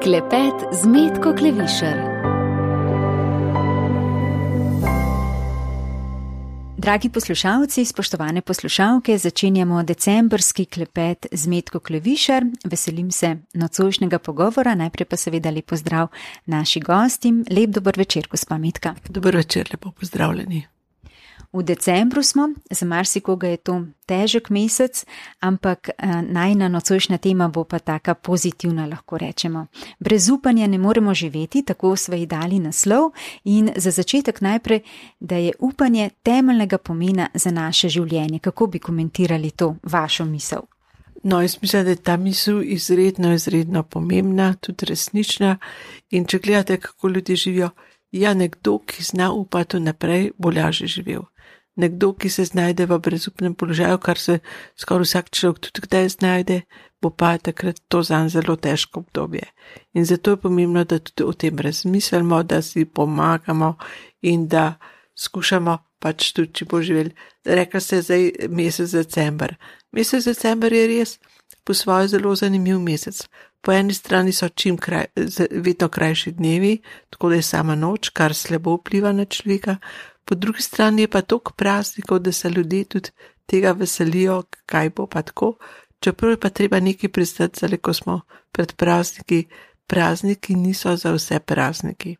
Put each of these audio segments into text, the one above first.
Klepet z Metko Klevišar. Dragi poslušalci, spoštovane poslušalke, začenjamo decembrski klepet z Metko Klevišar. Veselim se nocojšnjega pogovora, najprej pa seveda lep pozdrav naši gostim. Lep dober večer, gospa Metka. Dober večer, lepo pozdravljeni. V decembru smo, za marsikoga je to težek mesec, ampak najina nocojšnja tema bo pa taka pozitivna, lahko rečemo. Brez upanja ne moremo živeti, tako sva ji dali naslov in za začetek najprej, da je upanje temeljnega pomena za naše življenje. Kako bi komentirali to vašo misel? No, jaz mislim, da je ta misel izredno pomembna, tudi resnična in če gledate, kako ljudje živijo, nekdo, ki zna upati naprej, bo lažje živel. Nekdo, ki se znajde v brezupnem položaju, kar se skoraj vsak človek tudi kdaj znajde, bo pa takrat to zanj zelo težko obdobje. In zato je pomembno, da tudi o tem razmislimo, da si pomagamo in da skušamo pač tudi, če bo živel. Rekla ste zdaj mesec december. Mesec december je res po svoje zelo zanimiv mesec. Po eni strani so vedno krajši dnevi, tako da je sama noč, kar slabo vpliva na človeka. Po drugi strani je pa toliko praznikov, da se ljudje tudi tega veselijo, kaj bo pa tako. Čeprav je pa treba nekaj pristati, zdaj ko smo pred prazniki. Prazniki niso za vse prazniki.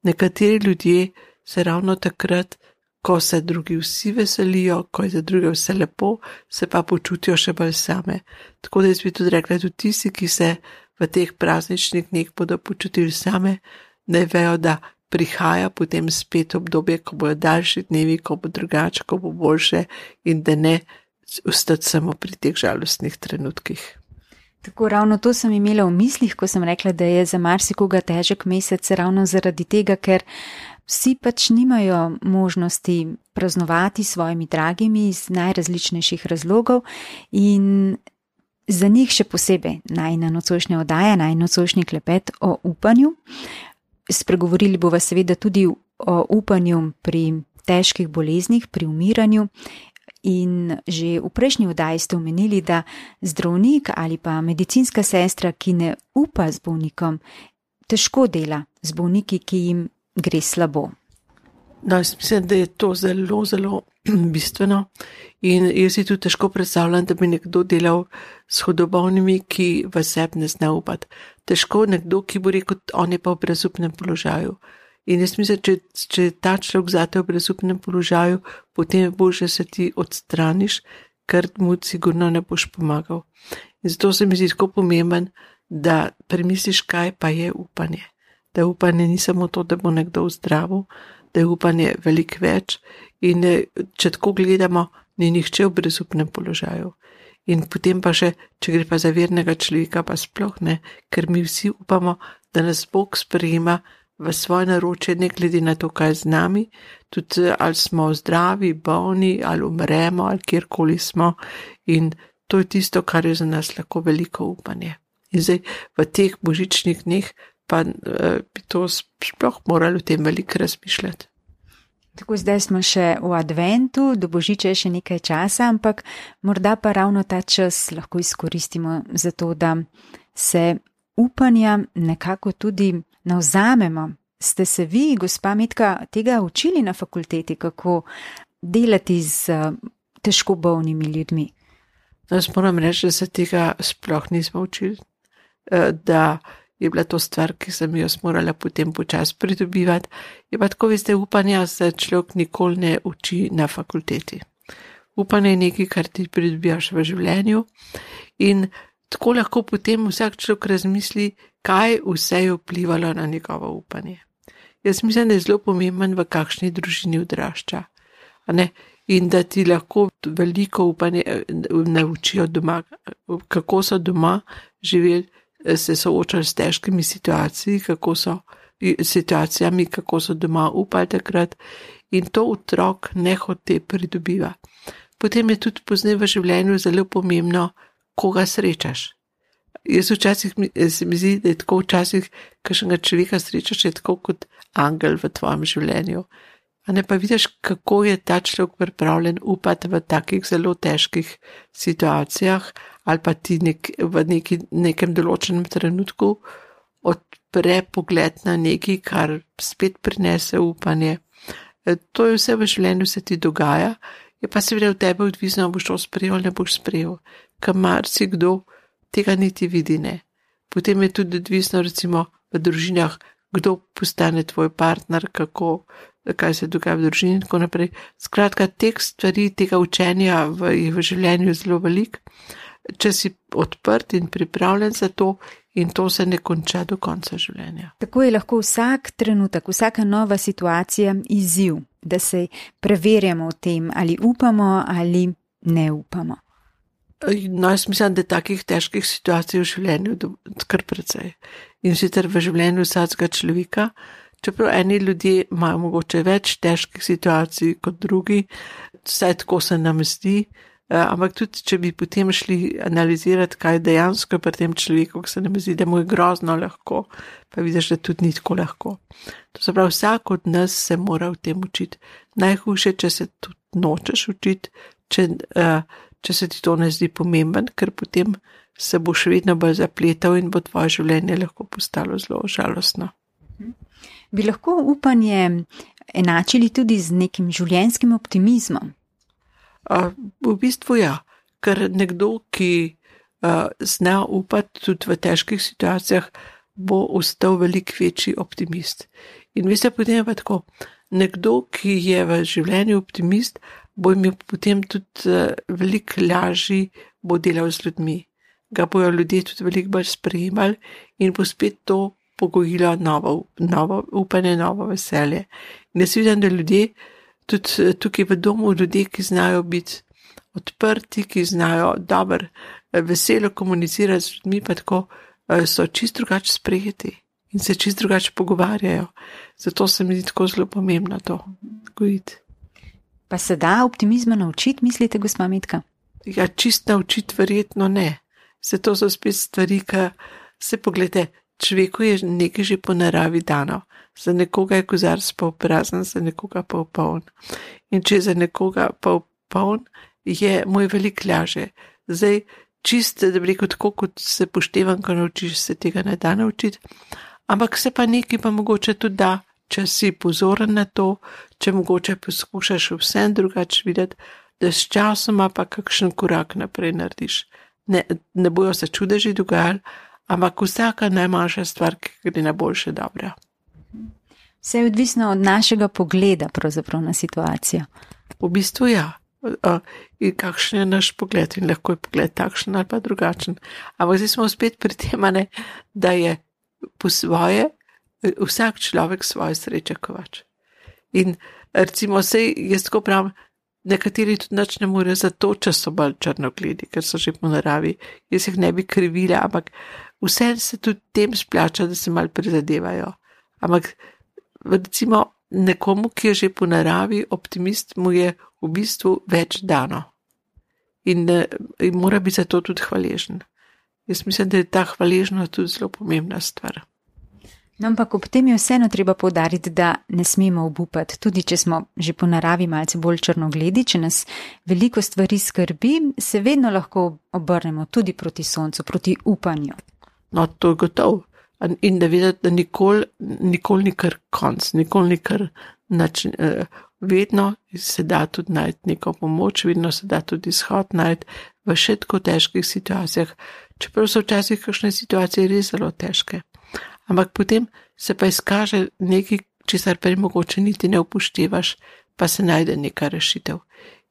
Nekateri ljudje se ravno takrat, ko se drugi vsi veselijo, ko je za druge vse lepo, se pa počutijo še bolj same. Tako da jaz bi tudi rekla, tudi tisti, ki se v teh prazničnih dneh bodo počutili same, ne vejo, da prihaja potem spet obdobje, ko bojo daljši dnevi, ko bo drugače, ko bo boljše in da ne ostati samo pri teh žalostnih trenutkih. Tako ravno to sem imela v mislih, ko sem rekla, da je za marsikoga težek mesec ravno zaradi tega, ker vsi pač nimajo možnosti praznovati s svojimi dragimi iz najrazličnejših razlogov in za njih še posebej najina nocojšnja oddaja, najin nocojšnji klepet o upanju. Spregovorili bova seveda tudi o upanju pri težkih boleznih, pri umiranju in že v prejšnji oddaji ste omenili, da zdravnik ali pa medicinska sestra, ki ne upa z bolnikom, težko dela z bolniki, ki jim gre slabo. No, jaz mislim, da je to zelo bistveno in jaz si tudi težko predstavljam, da bi nekdo delal s hudobolnimi, ki v sebi ne zna upati. Težko nekdo, ki bo rekel, on je pa v brezupnem položaju. In jaz mislim, če je ta človek zate v brezupnem položaju, potem je boljše se ti odstraniš, ker mu sigurno ne boš pomagal. In zato se mi zdi tako pomemben, da premisliš, kaj pa je upanje. Da upanje ni samo to, da bo nekdo zdravil, da je upanje veliko več in če tako gledamo, ni nihče v brezupnem položaju. In potem pa še, če gre pa za vernega človeka, pa sploh ne, ker mi vsi upamo, da nas Bog sprejema v svoje naročje, ne glede na to, kaj z nami, tudi ali smo zdravi, bolni, ali umremo, ali kjerkoli smo. In to je tisto, kar je za nas lahko veliko upanje. In zdaj v teh božičnih dneh pa bi to sploh morali o tem veliko razmišljati. Tako zdaj smo še v adventu, do božiča je še nekaj časa, ampak morda pa ravno ta čas lahko izkoristimo za to, da se upanja nekako tudi navzamemo. Ste se vi, gospa Metka, tega učili na fakulteti, kako delati z težko bolnimi ljudmi? Jaz moram reči, da se tega sploh nismo učili, da je bila to stvar, ki sem jo morala potem počas pridobivati. Je pa tako, veste, upanja se človek nikoli ne uči na fakulteti. Upanje je nekaj, kar ti pridobivaš v življenju in tako lahko potem vsak človek razmisli, kaj vse je vplivalo na njegovo upanje. Jaz mislim, da je zelo pomemben, v kakšni družini odrašča. In da ti lahko veliko upanje naučijo doma, kako so doma živeli, se soočali s težkimi situacijami, kako so doma upali takrat in to otrok nehote pridobiva. Potem je tudi pozneje v življenju zelo pomembno, koga srečaš. Jaz včasih se mi zdi, da je tako včasih, kakšnega človeka srečaš, je tako kot angel v tvojem življenju. A ne pa vidiš, kako je ta človek pripravljen upati v takih zelo težkih situacijah ali pa ti v nekem določenem trenutku odpre pogled na nekaj, kar spet prinese upanje. To je vse v življenju, se ti dogaja, je pa seveda v tebi odvisno, boš to sprejel ali ne boš sprejel, ker marsikdo tega niti vidi ne. Potem je tudi odvisno recimo v družinah, kdo postane tvoj partner, kaj se dogaja v družini in tako naprej. Skratka, teh stvari, tega učenja je v življenju zelo veliko, če si odprt in pripravljen za to in to se ne konča do konca življenja. Tako je lahko vsak trenutek, vsaka nova situacija izziv, da se preverjamo v tem, ali upamo ali ne upamo. No, jaz mislim, da je takih težkih situacij v življenju kar precej. In sicer v življenju vsakega človeka, čeprav eni ljudje imajo mogoče več težkih situacij kot drugi, vsaj tako se nam zdi, ampak tudi, če bi potem šli analizirati, kaj dejansko je pri tem človeku, ko se nam zdi, da mu je grozno lahko, pa vidiš, da tudi ni tako lahko. To se pravi, vsak od nas se mora v tem učiti. Najhujše, če se tudi nočeš učiti, če se ti to ne zdi pomemben, ker potem se boš vedno bolj zapletal in bo tvoje življenje lahko postalo zelo žalostno. Bi lahko upanje enačili tudi z nekim življenjskim optimizmom? V bistvu ja, ker nekdo, ki zna upati tudi v težkih situacijah, bo ostal veliko večji optimist. In veste, potem je pa tako, nekdo, ki je v življenju optimist, bo imel potem tudi veliko lažji, bo delal z ljudmi. Ga bojo ljudje tudi veliko bolj sprejemali in bo spet to pogojilo novo upanje, novo veselje. In jaz vidim, da ljudje, tudi tukaj v domu, ljudje, ki znajo biti odprti, ki znajo dobro, veselo komunicirati z ljudmi, pa tako so čisto drugače sprejeti in se čisto drugače pogovarjajo. Zato se mi zdi tako zelo pomembno to gojiti. Pa se da optimizma naučiti, mislite, gospa Metka? Ja, čisto naučiti verjetno ne. Zato so spet stvari, ki se pogledajte, človeku je nekaj že po naravi dano. Za nekoga je kozarec pol prazen, za nekoga pol poln. In če za nekoga pol poln, mu je veliko lažje. Zdaj, čisto, da bi rekel, tako kot se poštevanko naučiš, se tega ne da naučiti, ampak se pa nekaj pa mogoče tudi da, če si pozoren na to, če mogoče poskušaš vsem drugače videti, da s časoma pa kakšen korak naprej narediš. Ne bojo se čudeži dogajali, ampak vsaka najmanjša stvar, ki gre na boljše, dobra. Vse je odvisno od našega pogleda pravzaprav na situacijo. V bistvu ja. In kakšen je naš pogled in lahko je pogled takšen ali pa drugačen. Ampak zdaj smo spet pri tem, da je po svoje vsak človek svoje sreče kovač. In recimo jaz tako pravim, nekateri tudi nič ne morejo zato, če so bolj črnogledi, ker so že po naravi. Jaz jih ne bi krivila, ampak vse se tudi tem splača, da se malo prizadevajo. Ampak recimo nekomu, ki je že po naravi optimist, mu je v bistvu več dano. In mora biti za to tudi hvaležen. Jaz mislim, da je ta hvaležnost tudi zelo pomembna stvar. No, ampak ob tem je vseeno treba poudariti, da ne smemo obupati, tudi če smo že po naravi malce bolj črnogledi, če nas veliko stvari skrbi, se vedno lahko obrnemo tudi proti soncu, proti upanju. No, to je gotovo. In da vedeti, da nikoli ni kar konc, nikoli ni kar vedno se da tudi najti neko pomoč, vedno se da tudi izhod najti v še tako težkih situacijah, čeprav so včasih kakšne situacije res zelo težke. Ampak potem se pa izkaže nekaj, česar prej mogoče niti ne upoštevaš, pa se najde neka rešitev.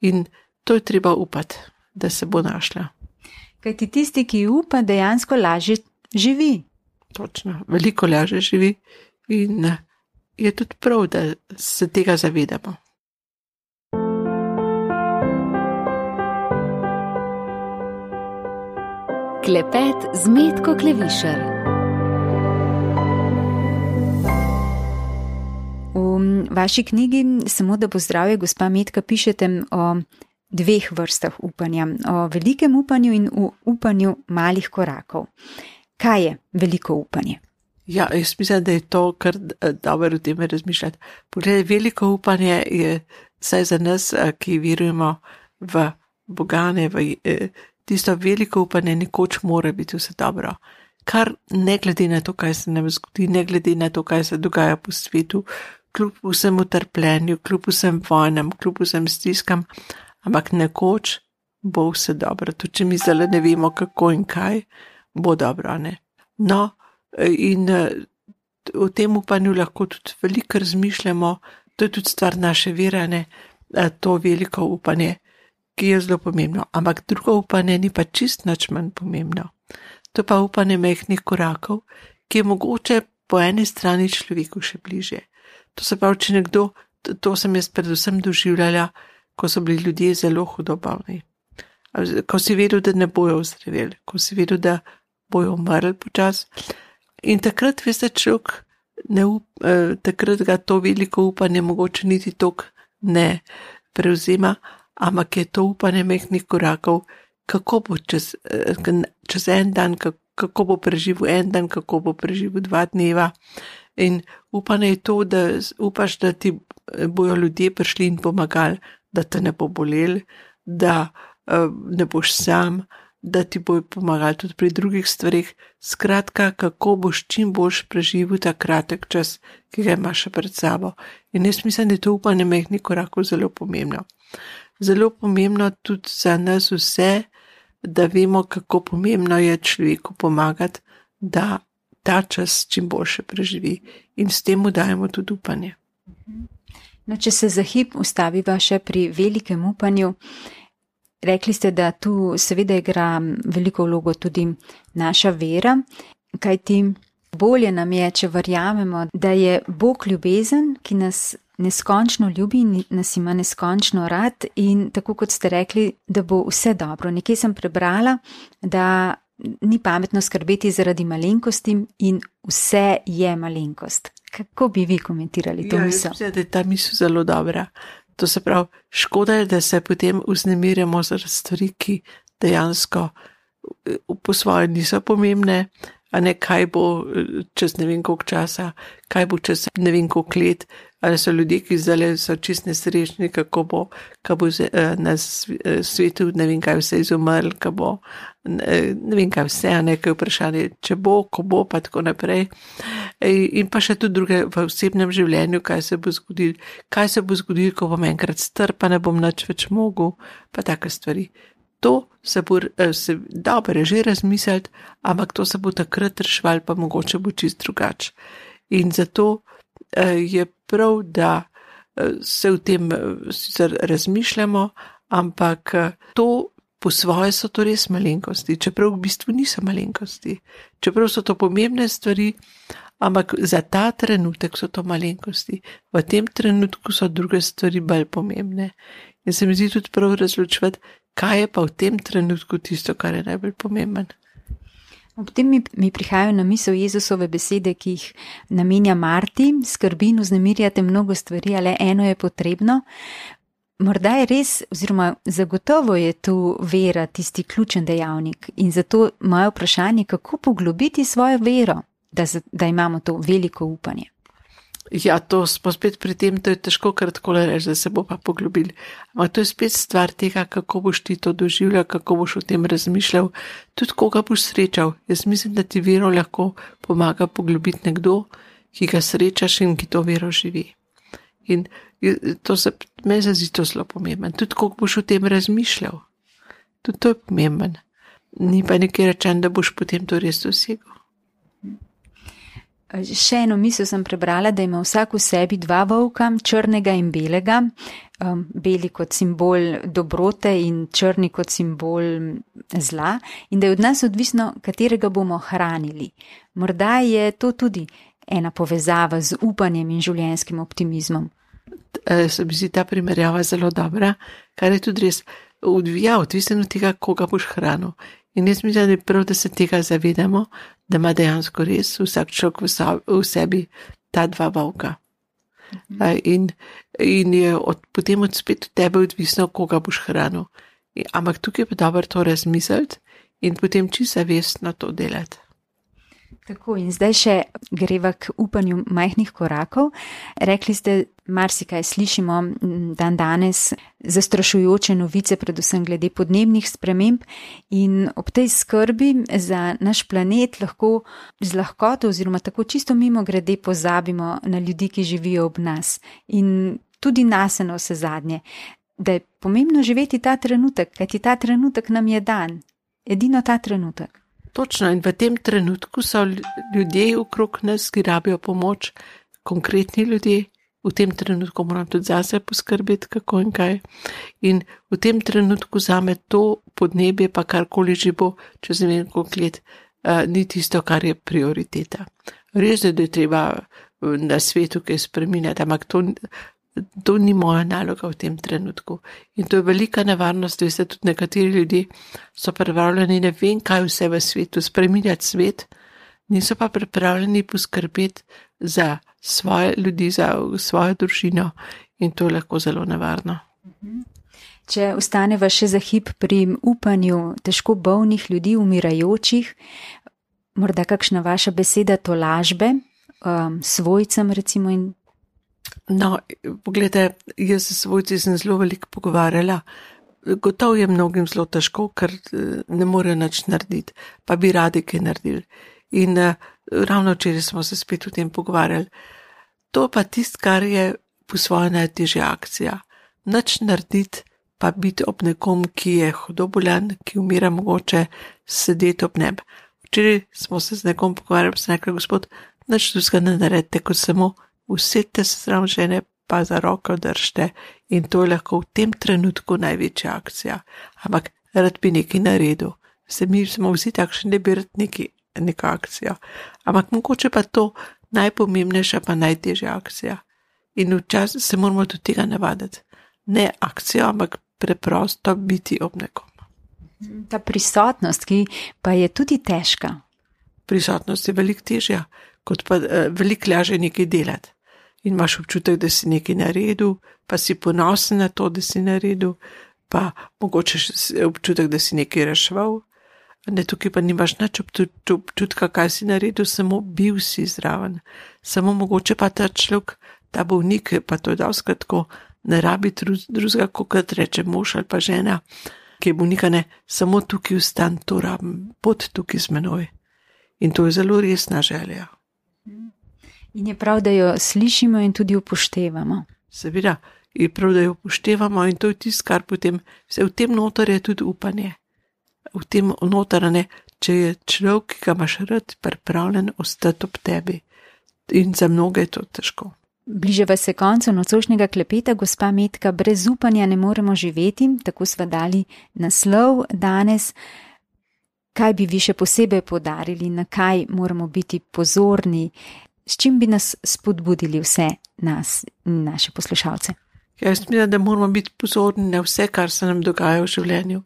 In to je treba upati, da se bo našla. Kajti tisti, ki upa, dejansko lažje živi. Točno, veliko lažje živi in je tudi prav, da se tega zavedamo. Klepet z Metko Klevišar. V vaši knjigi Samo da bo zdravje, gospa Metka, pišete o dveh vrstah upanja, o velikem upanju in o upanju malih korakov. Kaj je veliko upanje? Ja, jaz mislim, da je to kar dobro o tem razmišljati. Poglej, veliko upanje je vsaj za nas, ki verujemo v Boga, tisto veliko upanje nekoč mora biti vse dobro. kar ne glede na to, kaj se nam zgodi, ne glede na to, kaj se dogaja po svetu, kljub vsem utrpljenju, kljub vsem vojnam, kljub vsem stiskam, ampak nekoč bo vse dobro. Tudi če mi zdaj ne vemo, kako in kaj, bo dobro, ne. No, in o tem upanju lahko tudi veliko razmišljamo, to je tudi stvar naše vere, ne, to veliko upanje, ki je zelo pomembno. Ampak drugo upanje ni pa čist nič manj pomembno. To pa upanje majhnih korakov, ki je mogoče po eni strani človeku še bliže. To se pravi, če nekdo, to sem jaz predvsem doživljala, ko so bili ljudje zelo hudo bolni. Ko si vedel, da ne bojo ozdraveli, ko si vedel, da bojo umrli počas. In takrat, veste, človek takrat ga to veliko upanje mogoče niti toliko ne prevzema, ampak je to upanje majhnih korakov, kako bo čez en dan, kako bo preživel en dan, kako bo preživel 2 dneva. In upanje je to, da upaš, da ti bojo ljudje prišli in pomagali, da te ne bo bolel, da ne boš sam, da ti bojo pomagali tudi pri drugih stvarih. Skratka, kako boš čim boljš preživel ta kratek čas, ki ga imaš še pred sabo. In jaz mislim, da je to upanje majhnih korakov zelo pomembno. Zelo pomembno tudi za nas vse, da vemo, kako pomembno je človeku pomagati, da ta čas čim boljše preživi. In s tem mu dajemo tudi upanje. No, če se za hip ustaviva še pri velikem upanju, rekli ste, da tu seveda igra veliko vlogo tudi naša vera, kajti bolje nam je, če verjamemo, da je Bog ljubezen, ki nas neskončno ljubi in nas ima neskončno rad, in tako kot ste rekli, da bo vse dobro. Nekje sem prebrala, da ni pametno skrbeti zaradi malenkosti in vse je malenkost. Kako bi vi komentirali to misel? Mislim, da je ta misel zelo dobra. To se pravi, škoda je, da se potem vznemirjamo zaradi stvari, ki dejansko po svoje niso pomembne, a ne kaj bo čez ne vem koliko časa, kaj bo čez ne vem koliko let, ali so ljudje, ki zdaj so čist nesrečni, kako bo na svetu ne vem kaj vse izumrl, kaj bo ne vem kaj vse, a nekaj vprašanje, če bo, ko bo, pa tako naprej. In pa še tudi druge v osebnem življenju, kaj se bo zgodilo, ko bom enkrat star, pa ne bom nič več mogel, pa take stvari. To se bo dobro že razmisliti, ampak to se bo takrat rešval, pa mogoče bo čist drugače. In zato je prav, da se v tem sicer razmišljamo, ampak to po svoje so to res malenkosti, čeprav v bistvu niso malenkosti, čeprav so to pomembne stvari, ampak za ta trenutek so to malenkosti. V tem trenutku so druge stvari bolj pomembne. In se mi zdi tudi prav razločevati, kaj je pa v tem trenutku tisto, kar je najbolj pomemben. Ob tem mi prihajajo na misel Jezusove besede, ki jih namenja Marti: skrbi in vznemirjate mnogo stvari, ale eno je potrebno. Morda je res, oziroma zagotovo je tu vera tisti ključen dejavnik, in zato moje vprašanje, kako poglobiti svojo vero, da imamo to veliko upanje. Ja, to smo spet pri tem, to je težko kar takole reči, da se bo pa poglobili. Ampak to je spet stvar tega, kako boš ti to doživljal, kako boš o tem razmišljal, tudi koga boš srečal. Jaz mislim, da ti vero lahko pomaga poglobiti nekdo, ki ga srečaš in ki to vero živi. In to se me zdi to zelo pomemben. Tudi koliko boš o tem razmišljal. Tudi to je pomemben. Ni pa nekaj rečen, da boš potem to res dosegel. Še eno misel sem prebrala, da ima vsak v sebi 2 volka, črnega in belega, beli kot simbol dobrote in črni kot simbol zla, in da je od nas odvisno, katerega bomo hranili. Morda je to tudi ena povezava z upanjem in življenjskim optimizmom. Se mi zdi ta primerjava zelo dobra, kar je tudi res odvisno od tega, koga boš hranil. In jaz mislim, da je prav, da se tega zavedamo, da ima dejansko res vsak človek v sebi ta 2 volka. In je potem spet od tebe odvisno, koga boš hranil. Ampak tukaj je pa dobro to razmisliti in potem čisto zavestno to delati. Tako, in zdaj še greva k upanju majhnih korakov. Rekli ste, marsikaj slišimo dan danes, zastrašujoče novice, predvsem glede podnebnih sprememb, in ob tej skrbi za naš planet lahko z lahkoto oziroma tako čisto mimogrede pozabimo na ljudi, ki živijo ob nas in tudi nas na vse zadnje, da je pomembno živeti ta trenutek, kajti ta trenutek nam je dan, edino ta trenutek. Točno, in v tem trenutku so ljudje okrog nas, ki rabijo pomoč, konkretni ljudje. V tem trenutku moram tudi zase poskrbeti, kako in kaj. In v tem trenutku zame to podnebje, pa karkoli že bo, čez ne vem koliko let, ni tisto, kar je prioriteta. Res je, da je treba na svetu kaj spreminjati, ampak to ni moja naloga v tem trenutku. In to je velika nevarnost, da se tudi nekateri ljudje so pripravljeni, ne vem kaj vse v svetu, spreminjati svet, niso pa pripravljeni poskrbeti za svoje ljudi, za svojo družino, in to je lahko zelo nevarno. Če ostaneva še za hip pri upanju težko bolnih ljudi, umirajočih, morda kakšna vaša beseda tolažbe, svojcem recimo in. No, pogledajte, jaz s svojci sem zelo veliko pogovarjala. Gotovo je mnogim zelo težko, ker ne morejo nič narediti, pa bi radi kaj naredili. In ravno včeraj smo se spet o tem pogovarjali. To pa tisto, kar je po svoje najtežja akcija. Nič narediti, pa biti ob nekom, ki je hudo bolan, ki umira, mogoče sedeti ob njem. Včeraj smo se z nekom pogovarjali, pa sem rekla, gospod, nič drugega ne naredite, kot samo usedite se zraven žene, pa za roko držite, in to je lahko v tem trenutku največja akcija. Ampak rad bi nekaj naredil. Mi smo vsi takšni, da bi rad neko akcijo. Ampak mogoče pa to najpomembnejša, pa najtežja akcija. In včasih se moramo do tega navaditi. Ne akcijo, ampak preprosto biti ob nekom. Ta prisotnost, ki pa je tudi težka. Prisotnost je veliko težja, kot pa veliko lažje nekaj delati. In imaš občutek, da si nekaj naredil, pa si ponosen na to, da si naredil, pa mogoče občutek, da si nekaj reševal. Tukaj pa nimaš nič občutka, kaj si naredil, samo bil si zraven. Samo mogoče pa ta človek, ta bolnik, pa to je dostikrat tako, ne rabi drugega, kot reče mož ali pa žena, ki je bolnika, ne, samo tukaj vstan, to rabim, bod tukaj z menoj. In to je zelo resna želja. In je prav, da jo slišimo in tudi upoštevamo. Seveda, je prav, da jo upoštevamo, in to je tisto, kar potem, v tem noter je tudi upanje. V tem noter, ne, če je človek, ki ga imaš rad, pripravljen ostati ob tebi. In za mnoge je to težko. Bližava se koncu nocojšnjega klepeta, gospa Metka, brez upanja ne moremo živeti, tako sva dali naslov danes. Kaj bi vi še posebej poudarili, na kaj moramo biti pozorni, s čim bi nas spodbudili vse nas in naše poslušalce? Jaz mislim, da moramo biti pozorni na vse, kar se nam dogaja v življenju.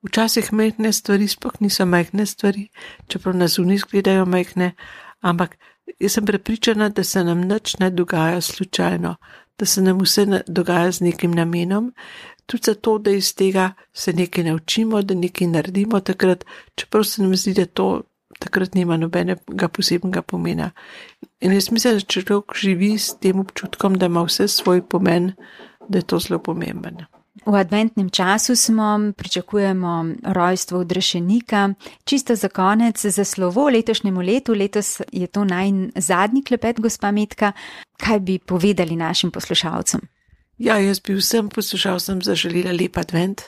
Včasih majhne stvari sploh niso majhne stvari, čeprav nas zunaj izgledajo majhne, ampak jaz sem prepričana, da se nam nič ne dogaja slučajno, da se nam vse dogaja z nekim namenom, tudi zato, da iz tega se nekaj naučimo, da nekaj naredimo takrat, čeprav se nam zdi, da to takrat nima nobenega posebnega pomena. In jaz mislim, da če človek živi s tem občutkom, da ima vse svoj pomen, da je to zelo pomemben. V adventnem času pričakujemo rojstvo odrešenika. Čisto za konec, za slovo letošnjemu letu, letos je to zadnji klepet, gospa Metka. Kaj bi povedali našim poslušalcem? Ja, jaz bi vsem poslušalcem zaželila lep advent,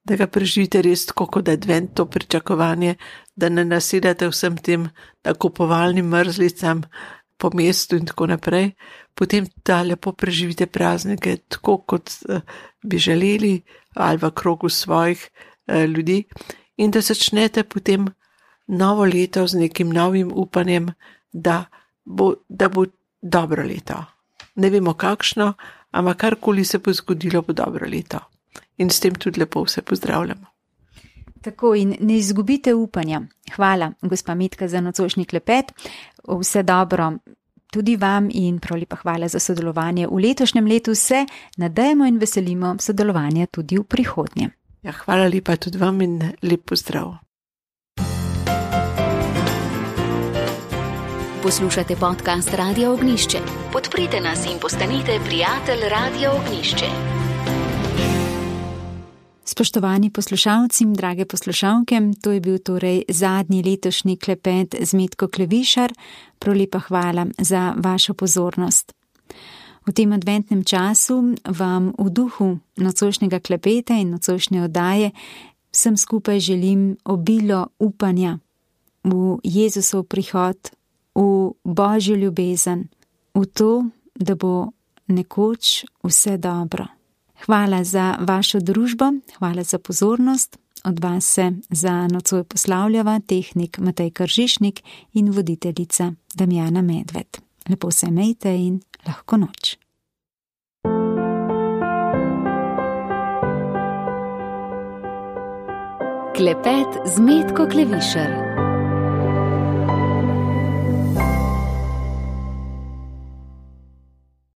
da ga preživite res tako kot advent, to pričakovanje, da ne nasedate vsem tem nakupovalnim mrzlicam po mestu in tako naprej. Potem da lepo preživite praznike tako, kot bi želeli, ali v krogu svojih ljudi, in da začnete potem novo leto z nekim novim upanjem, da bo dobro leto. Ne vemo kakšno, ampak karkoli se bo zgodilo, bo dobro leto. In s tem tudi lepo vse pozdravljamo. Tako, in ne izgubite upanja. Hvala, gospa Metka, za nocojšnji klepet. Vse dobro tudi vam in prav lepa hvala za sodelovanje v letošnjem letu. Se nadejamo in veselimo sodelovanja tudi v prihodnje. Ja, hvala lepa tudi vam in lep pozdrav. Poslušate podcast Radia Ognišče. Podprite nas in postanite prijatelj Radia Ognišče. Spoštovani poslušalci, drage poslušalke, to je bil torej zadnji letošnji klepet z Metko Klevišar. Prav lepa hvala za vašo pozornost. V tem adventnem času vam v duhu nocojšnjega klepeta in nocojšnje oddaje vsem skupaj želim obilo upanja v Jezusov prihod, v Božjo ljubezen, v to, da bo nekoč vse dobro. Hvala za vašo družbo, hvala za pozornost. Od vas se za nocoj poslavljava tehnik Matej Kržišnik in voditeljica Damjana Medved. Lepo se imejte in lahko noč. Klepet z Metko Klevišar.